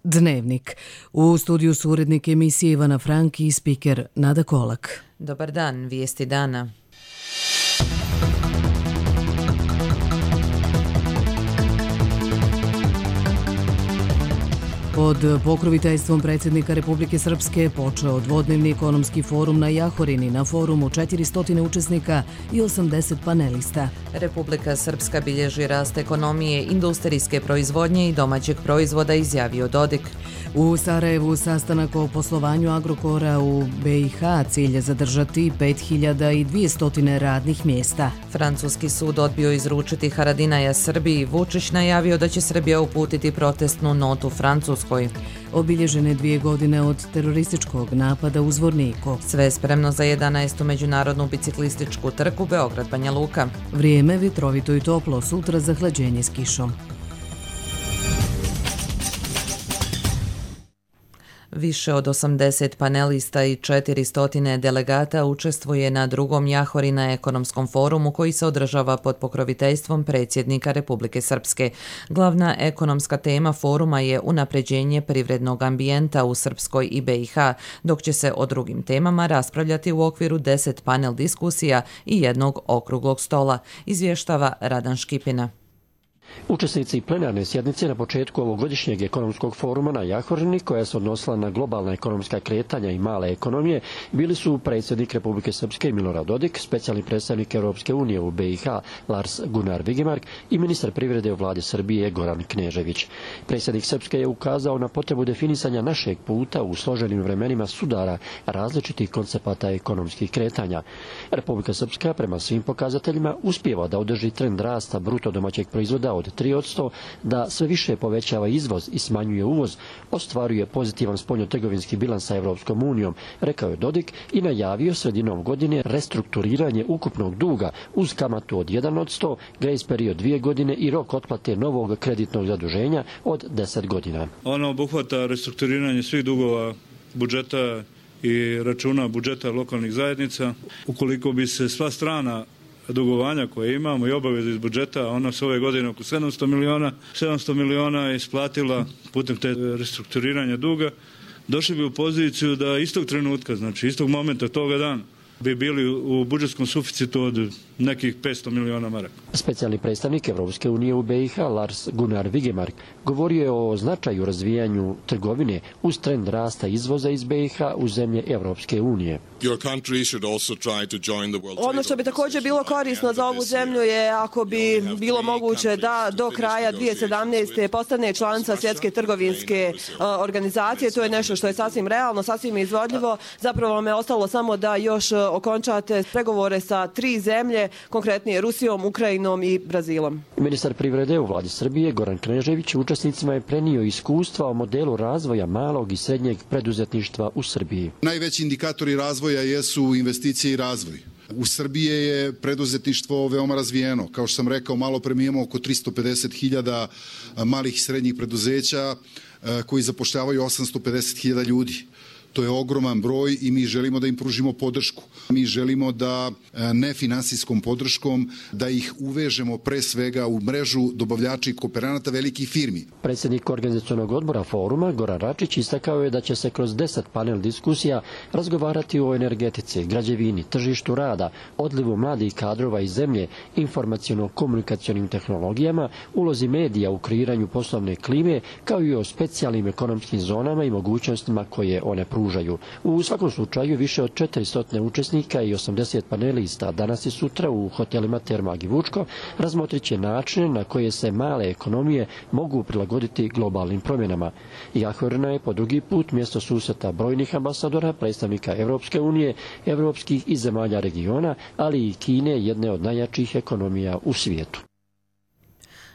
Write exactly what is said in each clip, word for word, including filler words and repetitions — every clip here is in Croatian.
Dnevnik. U studiju su urednik emisije Ivana Franki i spiker Nada Kolak. Dobar dan, vijesti dana. Pod pokroviteljstvom predsjednika Republike Srpske počeo dvodnevni ekonomski forum na Jahorini. Na forumu četiristo učesnika i osamdeset panelista. Republika Srpska bilježi rast ekonomije, industrijske proizvodnje i domaćeg proizvoda, izjavio Dodik. U Sarajevu sastanak o poslovanju Agrokora u B i H, cilj je zadržati pet hiljada dvjesto radnih mjesta. Francuski sud odbio izručiti Haradinaja Srbiji. Vučić najavio da će Srbija uputiti protestnu notu Francuskoj. Obilježene dvije godine od terorističkog napada u Zvorniku. Sve spremno za jedanaestu međunarodnu biciklističku trku Beograd-Banja Luka. Vrijeme vitrovito i toplo, sutra zahlađenje s kišom. Više od osamdeset panelista i četiristo delegata učestvuje na drugom Jahorina ekonomskom forumu koji se održava pod pokroviteljstvom predsjednika Republike Srpske. Glavna ekonomska tema foruma je unapređenje privrednog ambijenta u Srpskoj i B i H, dok će se o drugim temama raspravljati u okviru deset panel diskusija i jednog okruglog stola, izvještava Radan Škipina. Učesnici plenarne sjednice na početku ovogodišnjeg ekonomskog foruma na Jahorini, koja se odnosila na globalna ekonomska kretanja i male ekonomije, bili su predsjednik Republike Srpske Milorad Dodik, specijalni predstavnik Europske unije u B i H Lars Gunnar Vigemark i ministar privrede u vladi Srbije Goran Knežević. Predsjednik Srpske je ukazao na potrebu definisanja našeg puta u složenim vremenima sudara različitih koncepata ekonomskih kretanja. Republika Srpska prema svim pokazateljima uspijeva da održi trend rasta bruto domaćeg proizvoda od tri posto, da sve više povećava izvoz i smanjuje uvoz, ostvaruje pozitivan spoljnotrgovinski bilans sa Evropskom unijom, rekao je Dodik i najavio sredinom godine restrukturiranje ukupnog duga uz kamatu od jedan posto, grace period dvije godine i rok otplate novog kreditnog zaduženja od deset godina. Ono obuhvata restrukturiranje svih dugova budžeta i računa budžeta lokalnih zajednica. Ukoliko bi se sva strana dugovanja koje imamo i obaveze iz budžeta, ona se ove godine oko sedamsto miliona, sedamsto miliona je isplatila putem te restrukturiranja duga, došli bi u poziciju da istog trenutka, znači istog momenta toga dana, bi bili u budžetskom suficitu od nekih petsto miliona maraka. Specijalni predstavnik Evropske unije u B i H Lars Gunnar Vigemark govorio je o značaju razvijanju trgovine uz trend rasta izvoza iz B i H u zemlje Evropske unije. Ono što bi također bilo korisno za ovu zemlju je ako bi bilo moguće da do kraja dvije tisuće sedamnaeste. postane članica Svjetske trgovinske organizacije. To je nešto što je sasvim realno, sasvim izvodljivo. Zapravo vam je ostalo samo da još okončate pregovore sa tri zemlje, konkretnije Rusijom, Ukrajinom i Brazilom. Ministar privrede u vladi Srbije Goran Knežević učesnicima je prenio iskustva o modelu razvoja malog i srednjeg preduzetništva u Srbiji. Najveći indikatori razvoja jesu investicije i razvoj. U Srbiji je preduzetništvo veoma razvijeno. Kao što sam rekao, malo pre mi imamo oko tristo pedeset hiljada malih i srednjih preduzeća koji zapošljavaju osamsto pedeset hiljada ljudi. To je ogroman broj i mi želimo da im pružimo podršku. Mi želimo da nefinansijskom podrškom da ih uvežemo pre svega u mrežu dobavljača i kooperanata velikih firmi. Predsjednik organizacionog odbora foruma Goran Račić istakao je da će se kroz deset panel diskusija razgovarati o energetici, građevini, tržištu rada, odlivu mladih kadrova iz zemlje, informaciono-komunikacionim tehnologijama, ulozi medija u kreiranju poslovne klime, kao i o specijalnim ekonomskim zonama i mogućnostima koje one pružaju. U svakom slučaju više od četiristo učesnika i osamdeset panelista danas i sutra u hotelima Termag i Vučko razmotrit će načine na koje se male ekonomije mogu prilagoditi globalnim promjenama. Jahorina je po drugi put mjesto susreta brojnih ambasadora, predstavnika Evropske unije, evropskih i zemalja regiona, ali i Kine, jedne od najjačih ekonomija u svijetu.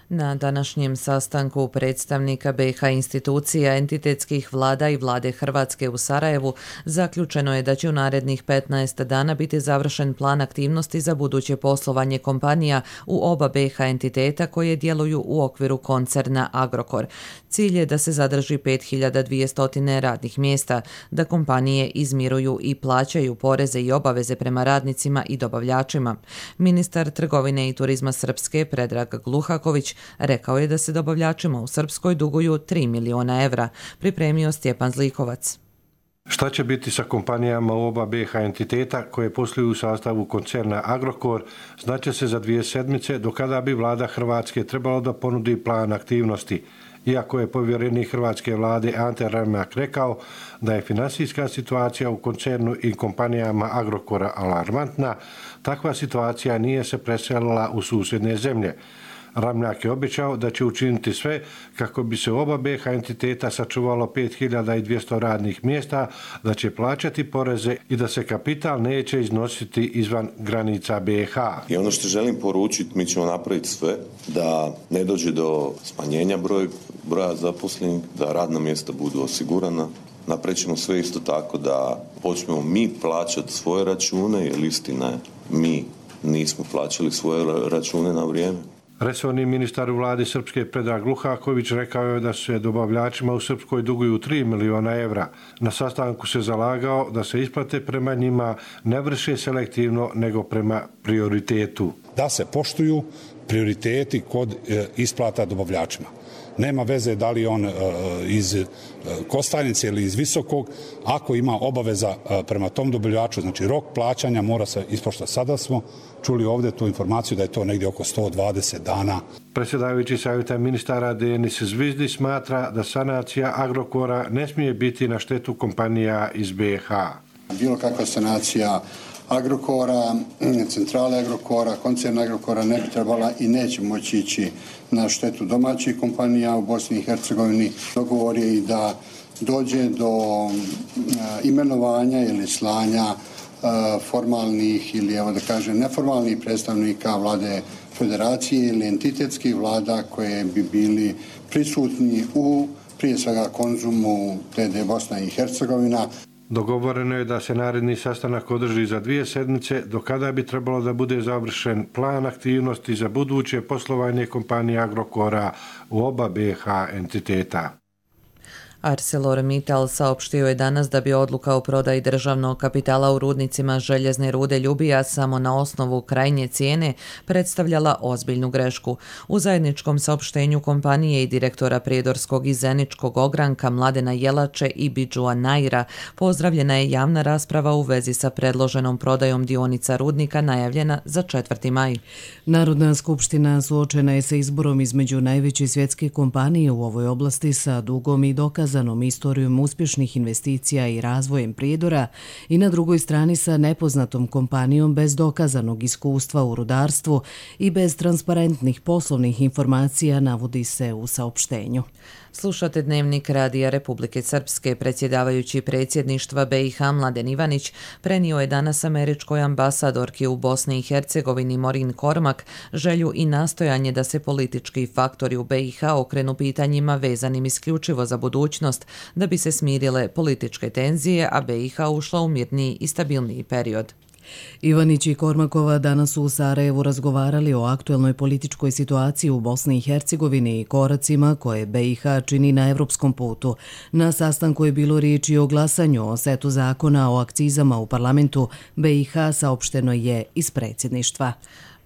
Na današnjem sastanku predstavnika B i H institucija, entitetskih vlada i vlade Hrvatske u Sarajevu zaključeno je da će u narednih petnaest dana biti završen plan aktivnosti za buduće poslovanje kompanija u oba B i H entiteta koje djeluju u okviru koncerna Agrokor. Cilj je da se zadrži pet hiljada dvjesto radnih mjesta, da kompanije izmiruju i plaćaju poreze i obaveze prema radnicima i dobavljačima. Ministar trgovine i turizma Srpske Predrag Gluhaković rekao je da se dobavljačima u Srpskoj duguju tri miliona evra, pripremio Stjepan Zlikovac. Šta će biti sa kompanijama u oba B H entiteta koje posluju u sastavu koncerna Agrokor, znaće se za dvije sedmice, do kada bi vlada Hrvatske trebalo da ponudi plan aktivnosti. Iako je povjerenik hrvatske vlade Ante Ramljak rekao da je finansijska situacija u koncernu i kompanijama Agrokora alarmantna, takva situacija nije se preselila u susjedne zemlje. Ramljak je obećao da će učiniti sve kako bi se oba B H entiteta sačuvalo pet hiljada dvjesto radnih mjesta, da će plaćati poreze i da se kapital neće iznositi izvan granica B H. I ono što želim poručiti, mi ćemo napraviti sve da ne dođe do smanjenja broj, broja zaposlenih, da radna mjesta budu osigurana. Napravit ćemo sve isto tako da počnemo mi plaćati svoje račune, jer istina je, mi nismo plaćali svoje račune na vrijeme. Resorni ministar u vladi Srpske Predrag Luhaković rekao je da se dobavljačima u Srpskoj duguju tri miliona evra. Na sastanku se zalagao da se isplate prema njima ne vrše selektivno nego prema prioritetu. Da se poštuju prioriteti kod isplata dobavljačima. Nema veze da li on iz Kostajnice ili iz Visokog, ako ima obaveza prema tom dobavljaču, znači rok plaćanja mora se ispoštovati. Sada smo čuli ovdje tu informaciju da je to negdje oko sto dvadeset dana. Predsjedavajući savjeta ministara Denis Zvizdi smatra da sanacija Agrokora ne smije biti na štetu kompanija iz B H. Bilo kakva sanacija Agrokora, centrale Agrokora, koncerna Agrokora ne bi trebala i neće moći ići na štetu domaćih kompanija u Bosni i Hercegovini. Dogovor je i da dođe do imenovanja ili slanja formalnih ili, evo da kažem, neformalnih predstavnika vlade federacije ili entitetskih vlada koje bi bili prisutni u, prije svega, Konzumu T D Bosna i Hercegovina. Dogovoreno je da se naredni sastanak održi za dvije sedmice, do kada bi trebalo da bude završen plan aktivnosti za buduće poslovanje kompanije Agrokora u oba B H entiteta. ArcelorMittal saopštio je danas da bi odluka o prodaji državnog kapitala u rudnicima željezne rude Ljubija samo na osnovu krajnje cijene predstavljala ozbiljnu grešku. U zajedničkom saopštenju kompanije i direktora Prijedorskog i Zeničkog ogranka Mladena Jelače i Bidžua Naira pozdravljena je javna rasprava u vezi sa predloženom prodajom dionica rudnika najavljena za četvrti maj. Narodna skupština suočena je sa izborom između najveće svjetske kompanije u ovoj oblasti sa dugom i dokazanom istorijom uspješnih investicija i razvojem Prijedora i na drugoj strani sa nepoznatom kompanijom bez dokazanog iskustva u rudarstvu i bez transparentnih poslovnih informacija, navodi se u saopštenju. Slušate Dnevnik Radija Republike Srpske. Predsjedavajući predsjedništva B i H Mladen Ivanić prenio je danas američkoj ambasadorki u Bosni i Hercegovini Morin Kormak želju i nastojanje da se politički faktori u B i H okrenu pitanjima vezanim isključivo za budućnost, da bi se smirile političke tenzije, a B i H ušla u mirniji i stabilniji period. Ivanić i Kormakova danas su u Sarajevu razgovarali o aktuelnoj političkoj situaciji u Bosni i Hercegovini i koracima koje B i H čini na evropskom putu. Na sastanku je bilo riječi o glasanju o setu zakona o akcizama u parlamentu. B i H saopšteno je iz predsjedništva.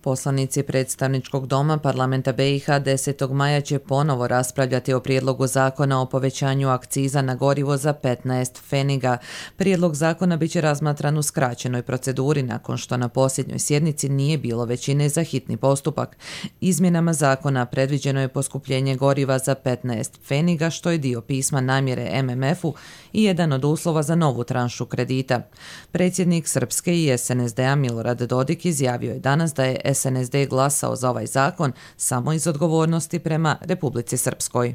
Poslanici predstavničkog doma parlamenta B i H desetog maja će ponovo raspravljati o prijedlogu zakona o povećanju akciza na gorivo za petnaest pfeniga. Prijedlog zakona biće razmatran u skraćenoj proceduri nakon što na posljednjoj sjednici nije bilo većine za hitni postupak. Izmjenama zakona predviđeno je poskupljenje goriva za petnaest pfeniga, što je dio pisma namjere M M F-u i jedan od uslova za novu tranšu kredita. Predsjednik Srpske i S N S D-a Milorad Dodik izjavio je danas da je S N S D glasao za ovaj zakon samo iz odgovornosti prema Republici Srpskoj.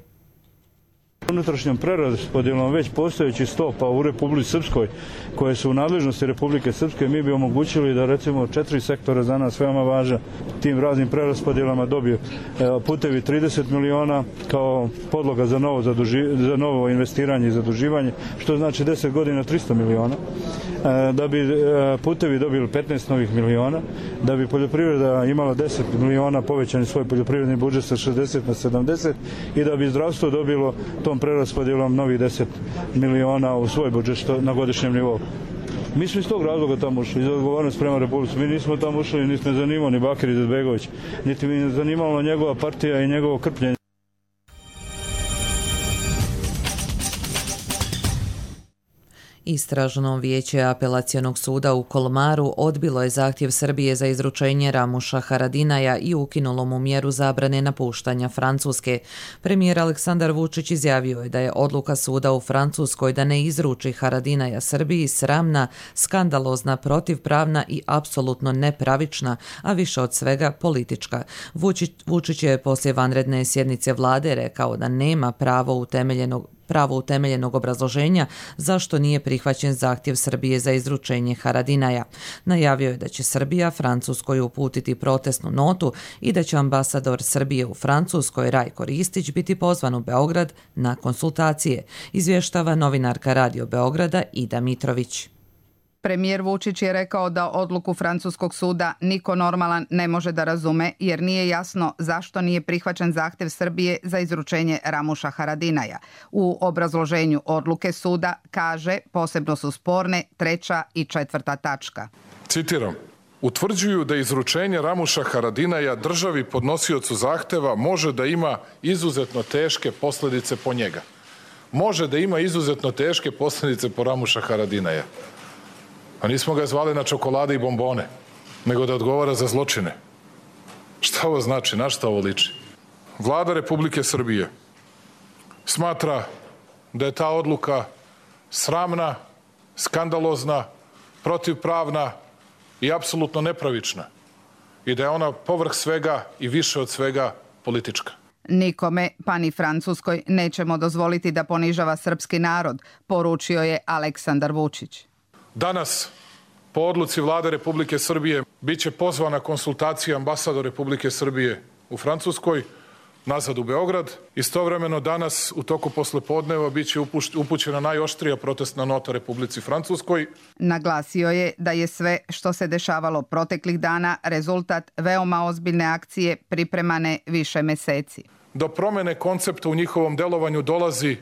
Unutrašnjom preraspodjelom već postojećih stopa u Republici Srpskoj, koje su u nadležnosti Republike Srpske, mi bi omogućili da recimo četiri sektora za nas veoma važna tim raznim preraspodjelama dobiju putevi trideset miliona kao podloga za novo, zaduži, za novo investiranje i zaduživanje, što znači deset godina tristo miliona, da bi putevi dobili petnaest novih miliona, da bi poljoprivreda imala deset miliona povećani svoj poljoprivredni budžet sa šezdeset na sedamdeset i da bi zdravstvo dobilo tom preraspodjelom novih deset miliona u svoj budžet što na godišnjem nivou. Mi smo iz tog razloga tamo ušli, iz odgovornosti prema Republici. Mi nismo tamo ušli, niti me zanimao ni Bakir Izetbegović, niti mi je zanimala njegova partija i njegovo krpljenje. Istražno vijeće apelacionog suda u Kolmaru odbilo je zahtjev Srbije za izručenje Ramuša Haradinaja i ukinulo mu mjeru zabrane napuštanja Francuske. Premijer Aleksandar Vučić izjavio je da je odluka suda u Francuskoj da ne izruči Haradinaja Srbiji sramna, skandalozna, protivpravna i apsolutno nepravična, a više od svega politička. Vučić, Vučić je poslije vanredne sjednice vlade rekao da nema pravo utemeljenog pravo utemeljenog obrazloženja zašto nije prihvaćen zahtjev Srbije za izručenje Haradinaja. Najavio je da će Srbija Francuskoj uputiti protestnu notu i da će ambasador Srbije u Francuskoj Rajko Ristić biti pozvan u Beograd na konsultacije, izvještava novinarka Radio Beograda Ida Mitrović. Premijer Vučić je rekao da odluku francuskog suda niko normalan ne može da razume jer nije jasno zašto nije prihvaćen zahtjev Srbije za izručenje Ramuša Haradinaja. U obrazloženju odluke suda kaže posebno su sporne treća i četvrta tačka. Citiram. Utvrđuju da izručenje Ramuša Haradinaja državi podnosiocu zahteva može da ima izuzetno teške posljedice po njega. Može da ima izuzetno teške posljedice po Ramuša Haradinaja. A nismo ga zvali na čokolade i bombone, nego da odgovara za zločine. Šta ovo znači? Na šta ovo liči? Vlada Republike Srbije smatra da je ta odluka sramna, skandalozna, protivpravna i apsolutno nepravična i da je ona povrh svega i više od svega politička. Nikome, pa ni Francuskoj, nećemo dozvoliti da ponižava srpski narod, poručio je Aleksandar Vučić. Danas, po odluci Vlade Republike Srbije, bit će pozvana konsultacija ambasador Republike Srbije u Francuskoj, nazad u Beograd. Istovremeno danas, u toku poslepodneva, bit će upućena najoštrija protestna nota Republici Francuskoj. Naglasio je da je sve što se dešavalo proteklih dana rezultat veoma ozbiljne akcije pripremane više meseci. Do promjene koncepta u njihovom delovanju dolazi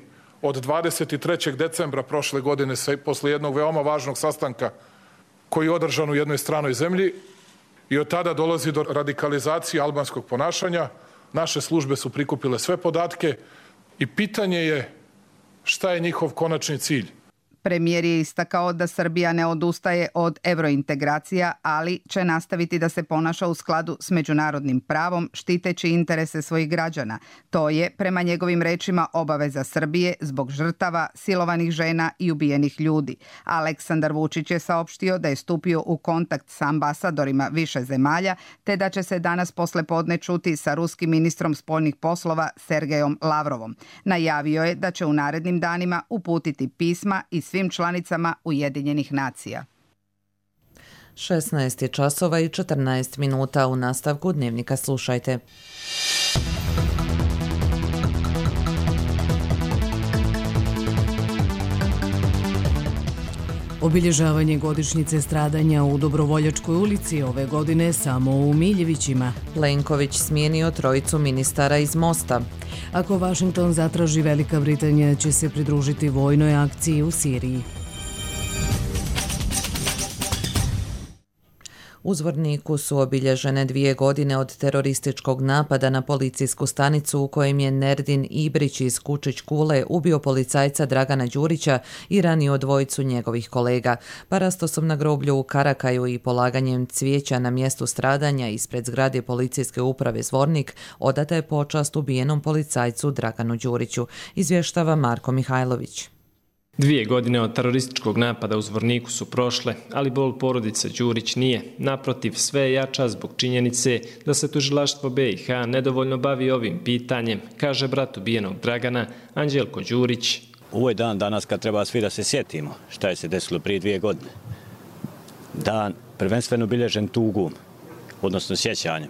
od dvadeset trećeg decembra prošle godine posle jednog veoma važnog sastanka koji je održan u jednoj stranoj zemlji i od tada dolazi do radikalizacije albanskog ponašanja. Naše službe su prikupile sve podatke i pitanje je šta je njihov konačni cilj. Premijer je istakao da Srbija ne odustaje od evrointegracija, ali će nastaviti da se ponaša u skladu s međunarodnim pravom, štiteći interese svojih građana. To je, prema njegovim rečima, obaveza Srbije zbog žrtava, silovanih žena i ubijenih ljudi. Aleksandar Vučić je saopštio da je stupio u kontakt sa ambasadorima više zemalja, te da će se danas poslepodne čuti sa ruskim ministrom spoljnih poslova Sergejom Lavrovom. Najavio je da će u narednim danima uputiti pisma i svim članicama Ujedinjenih nacija. šesnaest je časova i četrnaest minuta. U nastavku Dnevnika slušajte. Obilježavanje godišnjice stradanja u Dobrovoljačkoj ulici ove godine samo u Miljevićima. Plenković smijenio trojicu ministara iz Mosta. Ako Vašington zatraži, Velika Britanija će se pridružiti vojnoj akciji u Siriji. U Zvorniku su obilježene dvije godine od terorističkog napada na policijsku stanicu u kojem je Nerdin Ibrić iz Kučić Kule ubio policajca Dragana Đurića i ranio dvojicu njegovih kolega. Parastosom na groblju u Karakaju i polaganjem cvijeća na mjestu stradanja ispred zgrade policijske uprave Zvornik odata je počast ubijenom policajcu Draganu Đuriću, izvještava Marko Mihajlović. Dvije godine od terorističkog napada u Zvorniku su prošle, ali bol porodice Đurić nije. Naprotiv, sve je jača zbog činjenice da se tužilaštvo B i H nedovoljno bavi ovim pitanjem, kaže brat ubijenog Dragana, Anđelko Đurić. Ovo je dan danas kad treba svi da se sjetimo šta je se desilo prije dvije godine. Dan prvenstveno obilježen tugom, odnosno sjećanjem.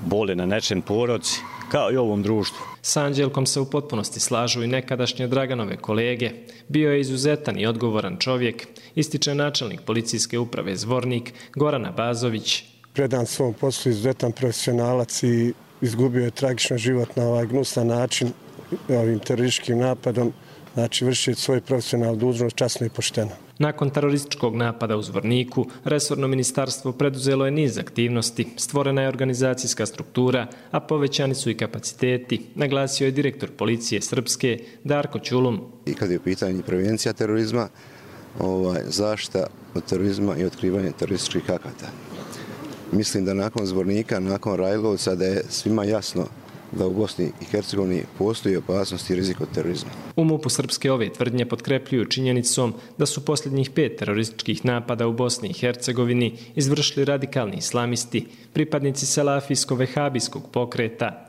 Bole na nečem porodci, kao i ovom društvu. S Anđelkom se u potpunosti slažu i nekadašnje Draganove kolege. Bio je izuzetan i odgovoran čovjek, ističe načelnik policijske uprave Zvornik Goran Bazović. Predan svom poslu, izuzetan profesionalac i izgubio je tragično život na ovaj gnusan način ovim terorističkim napadom, znači vršiti svoj profesionalnu dužnost časno i pošteno. Nakon terorističkog napada u Zvorniku, resorno ministarstvo preduzelo je niz aktivnosti, stvorena je organizacijska struktura, a povećani su i kapaciteti, naglasio je direktor policije Srpske Darko Ćulum. I kad je u pitanju prevencija terorizma, ovaj, zaštita od terorizma i otkrivanje terorističkih akata. Mislim da nakon Zvornika, nakon Rajlovca, da je svima jasno da u Bosni i Hercegovini postoji opasnost i rizik od terorizma. U MUP-u Srpske ove tvrdnje potkrepljuju činjenicom da su posljednjih pet terorističkih napada u Bosni i Hercegovini izvršili radikalni islamisti, pripadnici salafijsko-vehabijskog pokreta.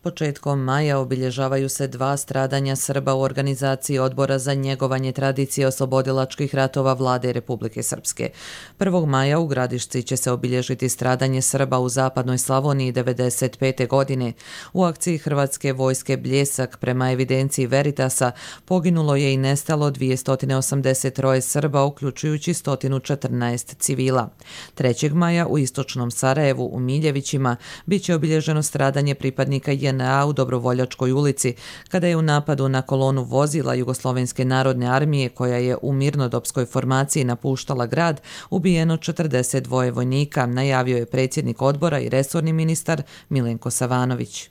Početkom maja obilježavaju se dva stradanja Srba u organizaciji Odbora za njegovanje tradicije oslobodilačkih ratova Vlade Republike Srpske. prvog maja u Gradišci će se obilježiti stradanje Srba u zapadnoj Slavoniji devedeset pete. godine. U akciji Hrvatske vojske Bljesak prema evidenciji Veritasa poginulo je i nestalo dvjesto osamdeset tri Srba, uključujući sto četrnaest civila. trećeg maja u istočnom Sarajevu u Miljevićima bit će obilježeno stradanje pripadnika J N A u Dobrovoljačkoj ulici, kada je u napadu na kolonu vozila Jugoslovenske narodne armije koja je u mirnodopskoj formaciji napuštala grad ubijeno četrdeset dva vojnika, najavio je predsjednik odbora i resorni ministar Milenko Savanović.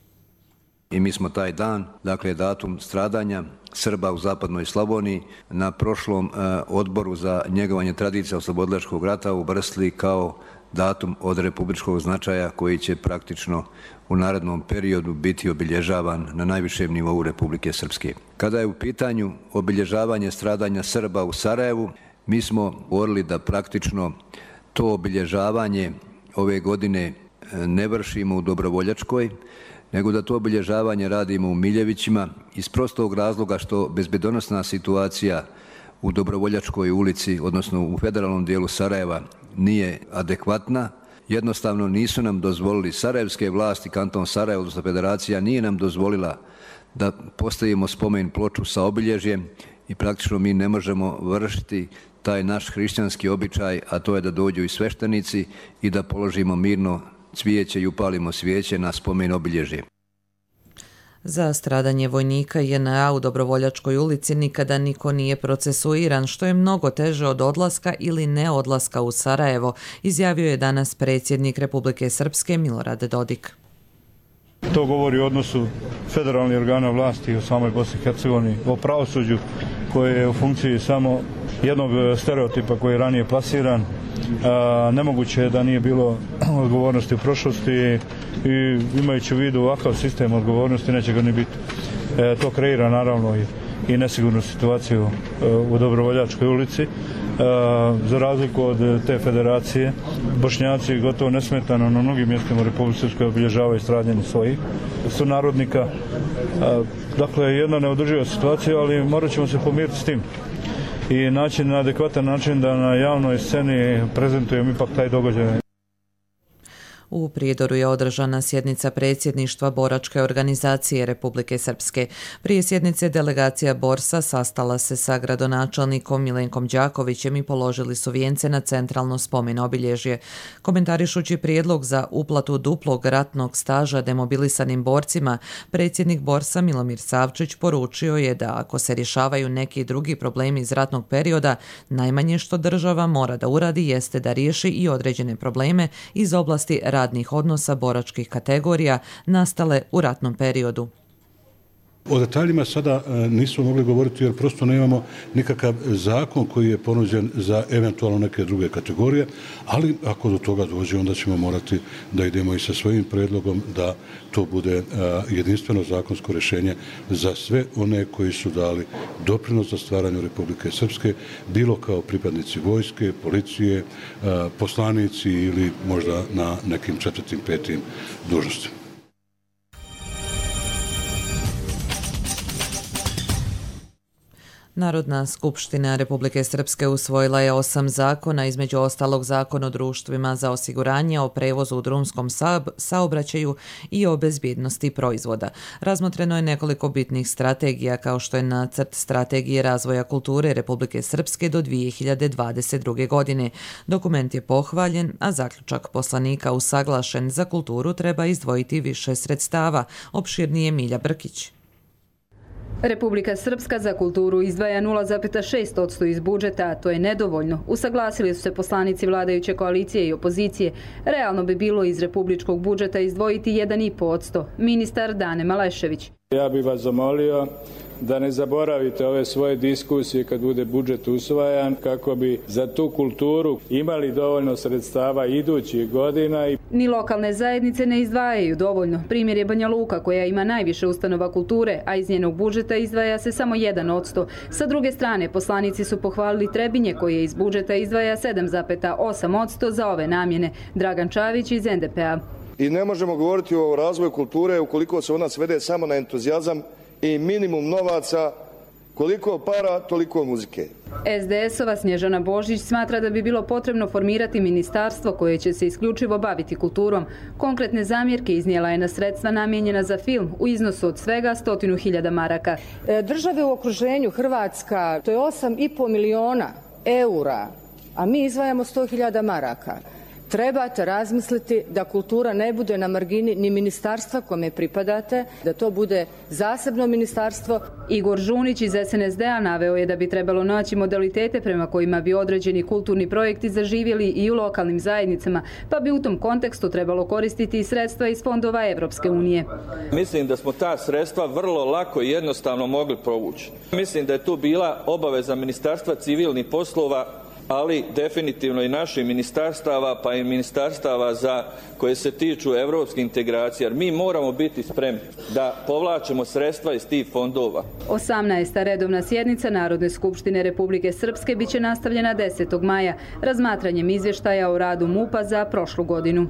I mi smo taj dan, dakle datum stradanja Srba u zapadnoj Slavoniji, na prošlom eh, odboru za njegovanje tradicije oslobodilačkog rata uvrstili kao datum od republičkog značaja koji će praktično u narednom periodu biti obilježavan na najvišem nivou Republike Srpske. Kada je u pitanju obilježavanje stradanja Srba u Sarajevu, mi smo govorili da praktično to obilježavanje ove godine ne vršimo u Dobrovoljačkoj, nego da to obilježavanje radimo u Miljevićima iz prostog razloga što bezbednosna situacija u Dobrovoljačkoj ulici, odnosno u federalnom dijelu Sarajeva, nije adekvatna. Jednostavno nisu nam dozvolili sarajevske vlasti, kanton Sarajevo, odnosno federacija, nije nam dozvolila da postavimo spomen ploču sa obilježjem i praktično mi ne možemo vršiti taj naš hrišćanski običaj, a to je da dođu i sveštenici i da položimo mirno cvijeće i upalimo svijeće na spomen obilježje. Za stradanje vojnika J N A u Dobrovoljačkoj ulici nikada niko nije procesuiran, što je mnogo teže od odlaska ili neodlaska u Sarajevo, izjavio je danas predsjednik Republike Srpske Milorad Dodik. To govori o odnosu federalnih organa vlasti u samoj Bosni i Hercegovini, o pravosuđu koje je u funkciji samo jednog stereotipa koji je ranije plasiran. A, nemoguće je da nije bilo odgovornosti u prošlosti i imajući u vidu ovakav sistem odgovornosti neće ga ni biti. E, to kreira naravno i, i nesigurnu situaciju e, u Dobrovoljačkoj ulici. E, za razliku od te federacije, Bošnjaci gotovo nesmetano na mnogim mjestima u Republike Srpskoj obilježavaju stradanje svojih sunarodnika. E, dakle, jedna neodrživa situacija, ali morat ćemo se pomiriti s tim i naći na adekvatan način da na javnoj sceni prezentujemo ipak taj događaj. U Prijedoru je održana sjednica predsjedništva Boračke organizacije Republike Srpske. Prije sjednice delegacija Borsa sastala se sa gradonačelnikom Milenkom Đakovićem i položili su vijence na centralno spomen obilježje. Komentarišući prijedlog za uplatu duplog ratnog staža demobilisanim borcima, predsjednik Borsa Milomir Savčić poručio je da ako se rješavaju neki drugi problemi iz ratnog perioda, najmanje što država mora da uradi jeste da riješi i određene probleme iz oblasti radnih odnosa boračkih kategorija nastale u ratnom periodu. O detaljima sada nismo mogli govoriti jer prosto nemamo nikakav zakon koji je ponuđen za eventualno neke druge kategorije, ali ako do toga dođe onda ćemo morati da idemo i sa svojim predlogom da to bude jedinstveno zakonsko rješenje za sve one koji su dali doprinos za stvaranju Republike Srpske, bilo kao pripadnici vojske, policije, poslanici ili možda na nekim četvrtim, petim dužnostima. Narodna skupština Republike Srpske usvojila je osam zakona, između ostalog Zakon o društvima za osiguranje, o prevozu u drumskom saobraćaju i o bezbjednosti proizvoda. Razmotreno je nekoliko bitnih strategija, kao što je nacrt strategije razvoja kulture Republike Srpske do dvije hiljade dvadeset druge. godine. Dokument je pohvaljen, a zaključak poslanika usaglašen. Za kulturu treba izdvojiti više sredstava, opširnije Milja Brkić. Republika Srpska za kulturu izdvaja nula zarez šest posto iz budžeta, a to je nedovoljno. Usaglasili su se poslanici vladajuće koalicije i opozicije. Realno bi bilo iz republičkog budžeta izdvojiti jedan zarez pet posto. Ministar Dane Malešević. Ja bih vas zamolio da ne zaboravite ove svoje diskusije kad bude budžet usvajan, kako bi za tu kulturu imali dovoljno sredstava idućih godina. Ni lokalne zajednice ne izdvajaju dovoljno. Primjer je Banja Luka, koja ima najviše ustanova kulture, a iz njenog budžeta izdvaja se samo jedan posto. Sa druge strane, poslanici su pohvalili Trebinje, koje iz budžeta izdvaja sedam zarez osam posto za ove namjene. Dragan Čavić iz en de pe a. I ne možemo govoriti o razvoju kulture ukoliko se ona svede samo na entuzijazam i minimum novaca, koliko para, toliko muzike. es de es-ova Snježana Božić smatra da bi bilo potrebno formirati ministarstvo koje će se isključivo baviti kulturom. Konkretne zamjerke iznijela je na sredstva namijenjena za film u iznosu od svega stotinu hiljada maraka. Države u okruženju, Hrvatska, to je osam i po miliona eura, a mi izdvajamo sto hiljada maraka. Trebate razmisliti da kultura ne bude na margini ni ministarstva kome pripadate, da to bude zasebno ministarstvo. Igor Žunić iz es en es de a naveo je da bi trebalo naći modalitete prema kojima bi određeni kulturni projekti zaživjeli i u lokalnim zajednicama, pa bi u tom kontekstu trebalo koristiti i sredstva iz fondova Evropske unije. Mislim da smo ta sredstva vrlo lako i jednostavno mogli provući. Mislim da je tu bila obaveza Ministarstva civilnih poslova, ali definitivno i naših ministarstava, pa i ministarstava za koje se tiču evropskih integracija. Jer mi moramo biti spremni da povlačimo sredstva iz tih fondova. osamnaesta redovna sjednica Narodne skupštine Republike Srpske biće nastavljena desetog maja razmatranjem izvještaja o radu MUP-a za prošlu godinu.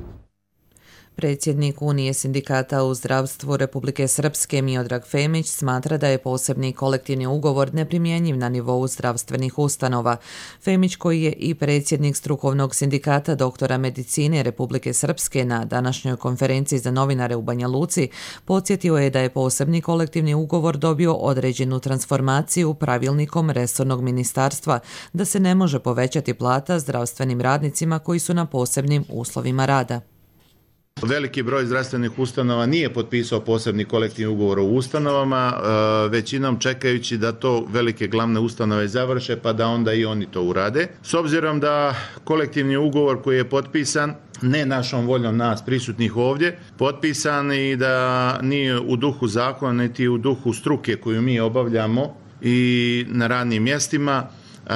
Predsjednik Unije sindikata u zdravstvu Republike Srpske Miodrag Femić smatra da je posebni kolektivni ugovor neprimjenjiv na nivou zdravstvenih ustanova. Femić, koji je i predsjednik strukovnog sindikata doktora medicine Republike Srpske na današnjoj konferenciji za novinare u Banja Luci, podsjetio je da je posebni kolektivni ugovor dobio određenu transformaciju pravilnikom resornog ministarstva, da se ne može povećati plata zdravstvenim radnicima koji su na posebnim uslovima rada. Veliki broj zdravstvenih ustanova nije potpisao posebni kolektivni ugovor o ustanovama, većinom čekajući da to velike glavne ustanove završe pa da onda i oni to urade. S obzirom da kolektivni ugovor koji je potpisan ne našom voljom nas prisutnih ovdje, potpisan i da nije u duhu zakona niti u duhu struke koju mi obavljamo i na radnim mjestima, Uh,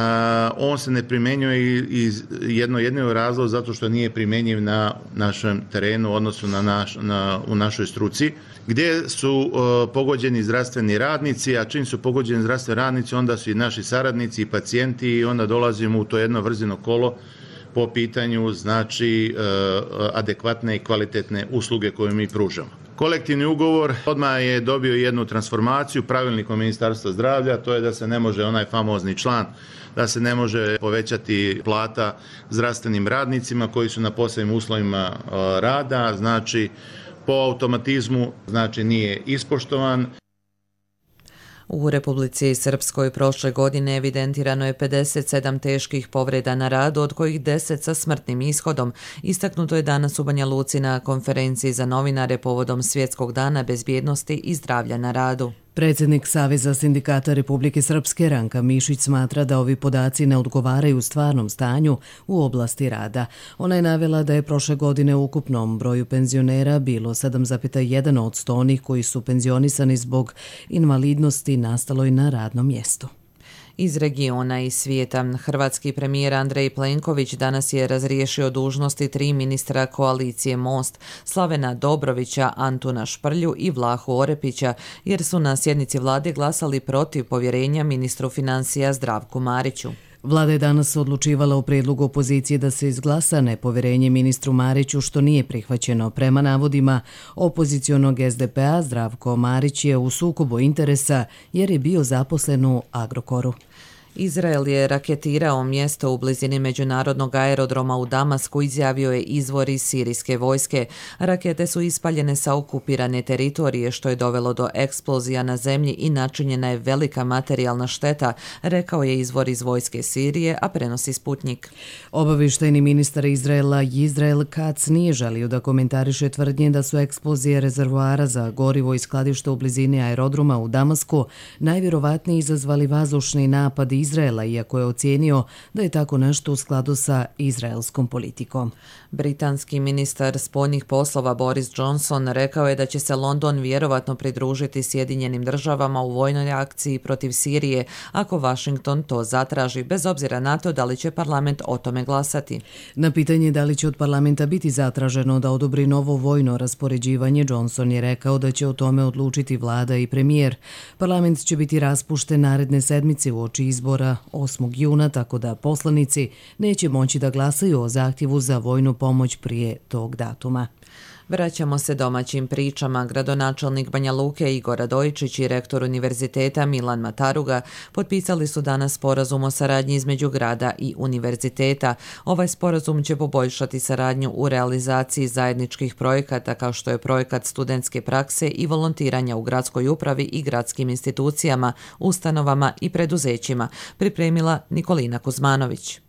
on se ne primjenjuje iz jedno jedino razlog zato što nije primjenjiv na našem terenu, odnosno na naš, na, u našoj struci, gdje su uh, pogođeni zdravstveni radnici, a čim su pogođeni zdravstveni radnici, onda su i naši saradnici i pacijenti i onda dolazimo u to jedno vrzino kolo po pitanju znači uh, adekvatne i kvalitetne usluge koje mi pružamo. Kolektivni ugovor odmah je dobio jednu transformaciju pravilnikom Ministarstva zdravlja, to je da se ne može onaj famozni član, da se ne može povećati plata zdravstvenim radnicima koji su na posebnim uslovima rada, znači po automatizmu znači nije ispoštovan. U Republici Srpskoj prošle godine evidentirano je pedeset sedam teških povreda na radu, od kojih deset sa smrtnim ishodom. Istaknuto je danas u Banja Luci na konferenciji za novinare povodom Svjetskog dana bezbjednosti i zdravlja na radu. Predsjednik Saveza sindikata Republike Srpske Ranka Mišić smatra da ovi podaci ne odgovaraju stvarnom stanju u oblasti rada. Ona je navela da je prošle godine u ukupnom broju penzionera bilo sedam zarez jedan posto onih koji su penzionisani zbog invalidnosti nastaloj na radnom mjestu. Iz regiona i svijeta, hrvatski premijer Andrej Plenković danas je razriješio dužnosti tri ministra koalicije Most, Slavena Dobrovića, Antuna Šprlju i Vlahu Orepića, jer su na sjednici vlade glasali protiv povjerenja ministru financija Zdravku Mariću. Vlada je danas odlučivala o predlogu opozicije da se izglasa nepoverenje ministru Mariću, što nije prihvaćeno. Prema navodima opozicionog S D P-a, Zdravko Marić je u sukobu interesa jer je bio zaposlen u Agrokoru. Izrael je raketirao mjesto u blizini međunarodnog aerodroma u Damasku, izjavio je izvor iz sirijske vojske. Rakete su ispaljene sa okupirane teritorije, što je dovelo do eksplozija na zemlji i načinjena je velika materijalna šteta, rekao je izvor iz vojske Sirije, a prenosi Sputnik. Obavještajni ministar Izraela Izrael Katz nije želio da komentariše tvrdnje da su eksplozije rezervoara za gorivo i skladišta u blizini aerodroma u Damasku najvjerovatnije izazvali vazdušni napad Izraela, iako je ocijenio da je tako nešto u skladu sa izraelskom politikom. Britanski ministar spoljnih poslova Boris Johnson rekao je da će se London vjerovatno pridružiti Sjedinjenim državama u vojnoj akciji protiv Sirije ako Washington to zatraži, bez obzira na to da li će parlament o tome glasati. Na pitanje da li će od parlamenta biti zatraženo da odobri novo vojno raspoređivanje, Johnson je rekao da će o tome odlučiti vlada i premijer. Parlament će biti raspušten naredne sedmice uoči izbora osmog juna, tako da poslanici neće moći da glasaju o zahtjevu za vojnu pomoć prije tog datuma. Vraćamo se domaćim pričama. Gradonačelnik Banja Luke Igor Radojičić i rektor univerziteta Milan Mataruga potpisali su danas sporazum o saradnji između grada i univerziteta. Ovaj sporazum će poboljšati saradnju u realizaciji zajedničkih projekata kao što je projekat studentske prakse i volontiranja u gradskoj upravi i gradskim institucijama, ustanovama i preduzećima, pripremila Nikolina Kuzmanović.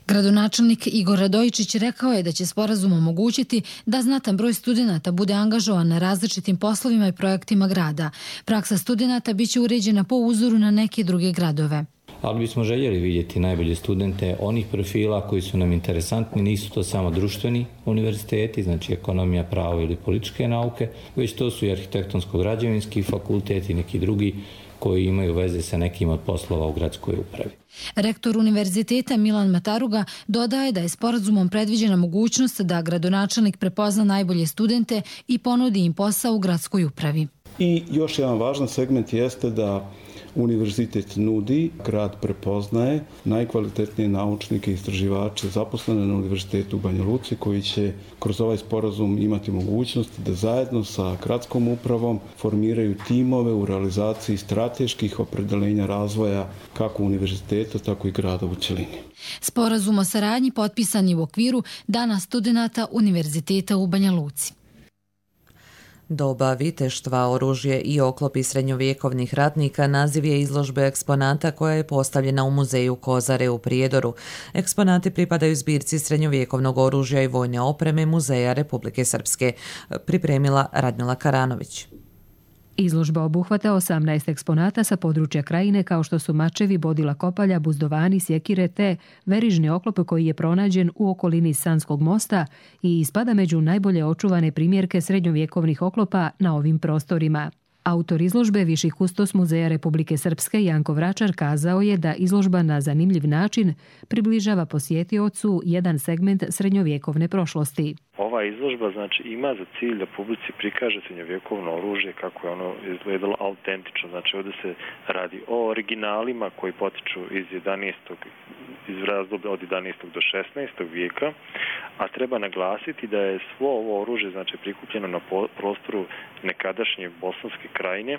Gradonačelnik Igor Radojičić rekao je da će sporazum omogućiti da znatan broj studenata bude angažovan na različitim poslovima i projektima grada. Praksa studenata biće uređena po uzoru na neke druge gradove. Ali bismo željeli vidjeti najbolje studente onih profila koji su nam interesantni. Nisu to samo društveni univerziteti, znači ekonomija, pravo ili političke nauke, već to su i arhitektonsko-građevinski fakulteti i neki drugi koji imaju veze sa nekim od poslova u gradskoj upravi. Rektor univerziteta Milan Mataruga dodaje da je sporazumom predviđena mogućnost da gradonačelnik prepozna najbolje studente i ponudi im posao u gradskoj upravi. I još jedan važan segment jeste da univerzitet nudi, grad prepoznaje najkvalitetnije naučnike i istraživače zaposlene na univerzitetu u Banja Luci koji će kroz ovaj sporazum imati mogućnost da zajedno sa gradskom upravom formiraju timove u realizaciji strateških opredeljenja razvoja kako univerziteta, tako i grada u cjelini. Sporazum o saradnji potpisan je u okviru Dana studenata Univerziteta u Banja Luci. Doba viteštva, oružje i oklopi srednjovjekovnih ratnika naziv je izložbe eksponata koja je postavljena u muzeju Kozare u Prijedoru. Eksponati pripadaju zbirci srednjovjekovnog oružja i vojne opreme Muzeja Republike Srpske, pripremila Radmila Karanović. Izložba obuhvata osamnaest eksponata sa područja krajine kao što su mačevi, bodila kopalja, buzdovani, sjekire te verižni oklop koji je pronađen u okolini Sanskog mosta i ispada među najbolje očuvane primjerke srednjovjekovnih oklopa na ovim prostorima. Autor izložbe, viši kustos Muzeja Republike Srpske Janko Vračar kazao je da izložba na zanimljiv način približava posjetiocu jedan segment srednjovjekovne prošlosti. Ova izložba znači ima za cilj da publici prikaže srednjovjekovno oružje kako je ono izgledalo autentično. Znači ovdje se radi o originalima koji potiču iz jedanaestog iz razdoblja od jedanaestog do šesnaestog vijeka, a treba naglasiti da je svo ovo oružje znači prikupljeno na prostoru nekadašnje Bosanske krajine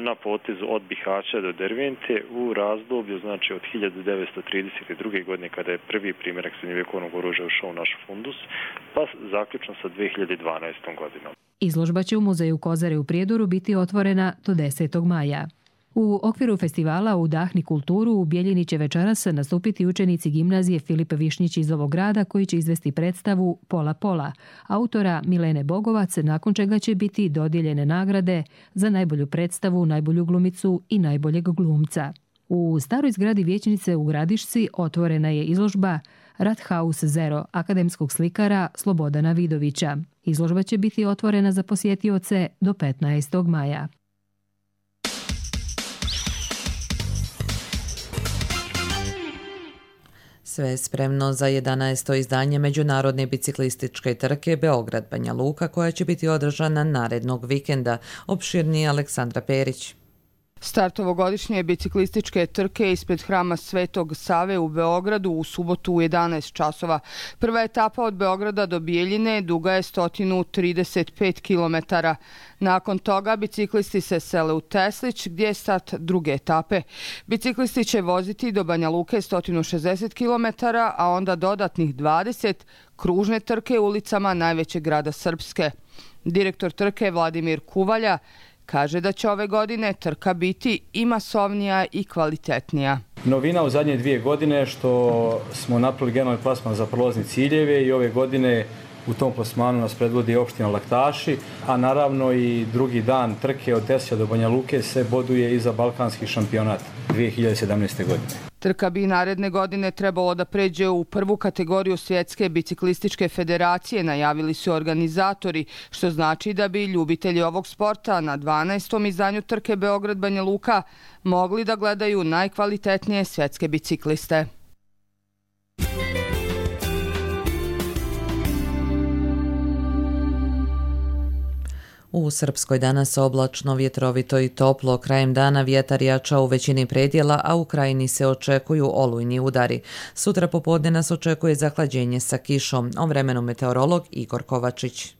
na potezu od Bihaća do Dervente u razdoblju znači od hiljadu devetsto trideset druge. godine kada je prvi primjerak srednjovjekovnog oružja ušao u naš fundus, pa zaključno sa dve hiljade dvanaestom. godinom. Izložba će u muzeju Kozare u Prijedoru biti otvorena do desetog maja. U okviru festivala Udahni kulturu u Bijeljini će večeras nastupiti učenici gimnazije Filip Višnjić iz ovog grada koji će izvesti predstavu Pola Pola, autora Milene Bogovac, nakon čega će biti dodijeljene nagrade za najbolju predstavu, najbolju glumicu i najboljeg glumca. U staroj zgradi vijećnice u Gradišci otvorena je izložba Rathaus Zero akademskog slikara Slobodana Vidovića. Izložba će biti otvorena za posjetioce do petnaestog maja. Sve je spremno za jedanaesto izdanje Međunarodne biciklističke trke Beograd-Banja Luka koja će biti održana narednog vikenda, opširnije Aleksandra Perić. Start ovogodišnje biciklističke trke ispred hrama Svetog Save u Beogradu u subotu u jedanaest časova. Prva etapa od Beograda do Bijeljine duga je sto trideset pet kilometara. Nakon toga biciklisti se sele u Teslić gdje je start druge etape. Biciklisti će voziti do Banja Luke sto šezdeset kilometara, a onda dodatnih dvadeset kružne trke ulicama najvećeg grada Srpske. Direktor trke Vladimir Kuvalja kaže da će ove godine trka biti i masovnija i kvalitetnija. Novina u zadnje dvije godine što smo napravili generalni plasman za prolazni ciljeve i ove godine u tom plasmanu nas predvodi opština Laktaši, a naravno i drugi dan trke od Tesija do Banja Luke se boduje i za balkanski šampionat dvije hiljade sedamnaeste. godine. Trka bi naredne godine trebalo da pređe u prvu kategoriju Svjetske biciklističke federacije, najavili su organizatori, što znači da bi ljubitelji ovog sporta na dvanaestom izdanju trke Beograd-Banja Luka mogli da gledaju najkvalitetnije svjetske bicikliste. U Srpskoj danas oblačno, vjetrovito i toplo, krajem dana vjetar jača u većini predjela, a u krajini se očekuju olujni udari. Sutra popodne nas očekuje zahlađenje sa kišom. O vremenu meteorolog Igor Kovačić.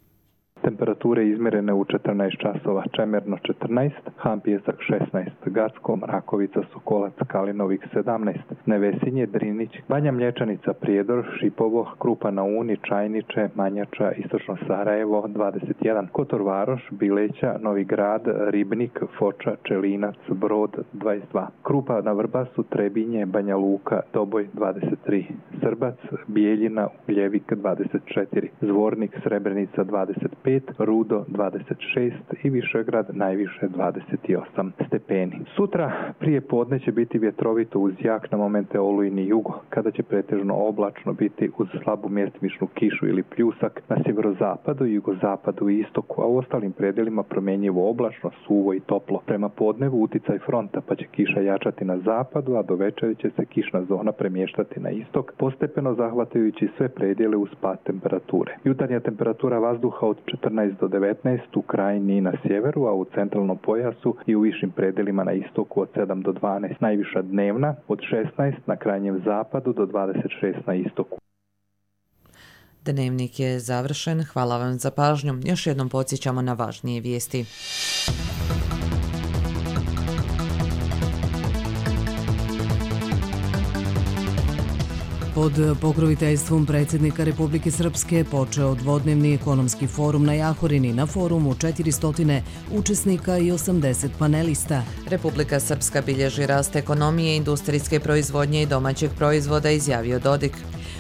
Temperature izmjerene u četrnaest časova, Čemerno četrnaest, Han Pijesak šesnaest, Gacko, Mrakovica, Sokolac, Kalinovik sedamnaest, Nevesinje, Drinić, Banja Mlječanica, Prijedor, Šipovo, Krupa na Uni, Čajniče, Manjača, Istočno Sarajevo dvadeset jedan, Kotor Varoš, Bileća, Novi Grad, Ribnik, Foča, Čelinac, Brod dvadeset dva, Krupa na Vrbasu, Trebinje, Banja Luka, Doboj dvadeset tri, Srbac, Bijeljina, Ugljevik dvadeset četiri, Zvornik, Srebrenica dvadeset pet, Rudo dvadeset šest i Višegrad najviše dvadeset osam stepeni. Sutra prije podne će biti vjetrovito uz jak na momente olujni jugo, kada će pretežno oblačno biti uz slabu mjestimičnu kišu ili pljusak na sjeverozapadu, jugozapadu i istoku, a u ostalim predelima promjenjivo oblačno, suvo i toplo. Prema podnevu uticaj fronta, pa će kiša jačati na zapadu, a do večeri će se kišna zona premještati na istok, postepeno zahvatajući sve predjele uz pad temperature. Jutarnja temperatura vazduha od četrnaest do devetnaest u krajini i na sjeveru, a u centralnom pojasu i u višim predelima na istoku od sedam do dvanaest. Najviša dnevna od šesnaest na krajnjem zapadu do dvadeset šest na istoku. Dnevnik je završen. Hvala vam za pažnju. Još jednom podsjećamo na važnije vijesti. Pod pokroviteljstvom predsjednika Republike Srpske počeo dvodnevni ekonomski forum na Jahorini. Na forumu četiristo učesnika i osamdeset panelista. Republika Srpska bilježi rast ekonomije, industrijske proizvodnje i domaćeg proizvoda, izjavio Dodik.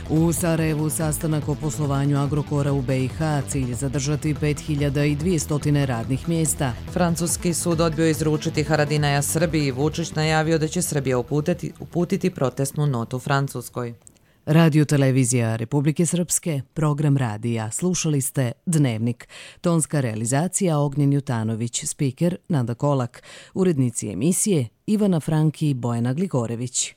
U Sarajevu sastanak o poslovanju Agrokora u B i H, cilj zadržati pet hiljada dvjesto radnih mjesta. Francuski sud odbio izručiti Haradinaja Srbiji. Vučić najavio da će Srbija uputiti, uputiti protestnu notu Francuskoj. Radio televizija Republike Srpske, program radija. Slušali ste Dnevnik. Tonska realizacija Ognjen Jutanović, spiker Nada Kolak, urednici emisije Ivana Franki i Bojana Gligorević.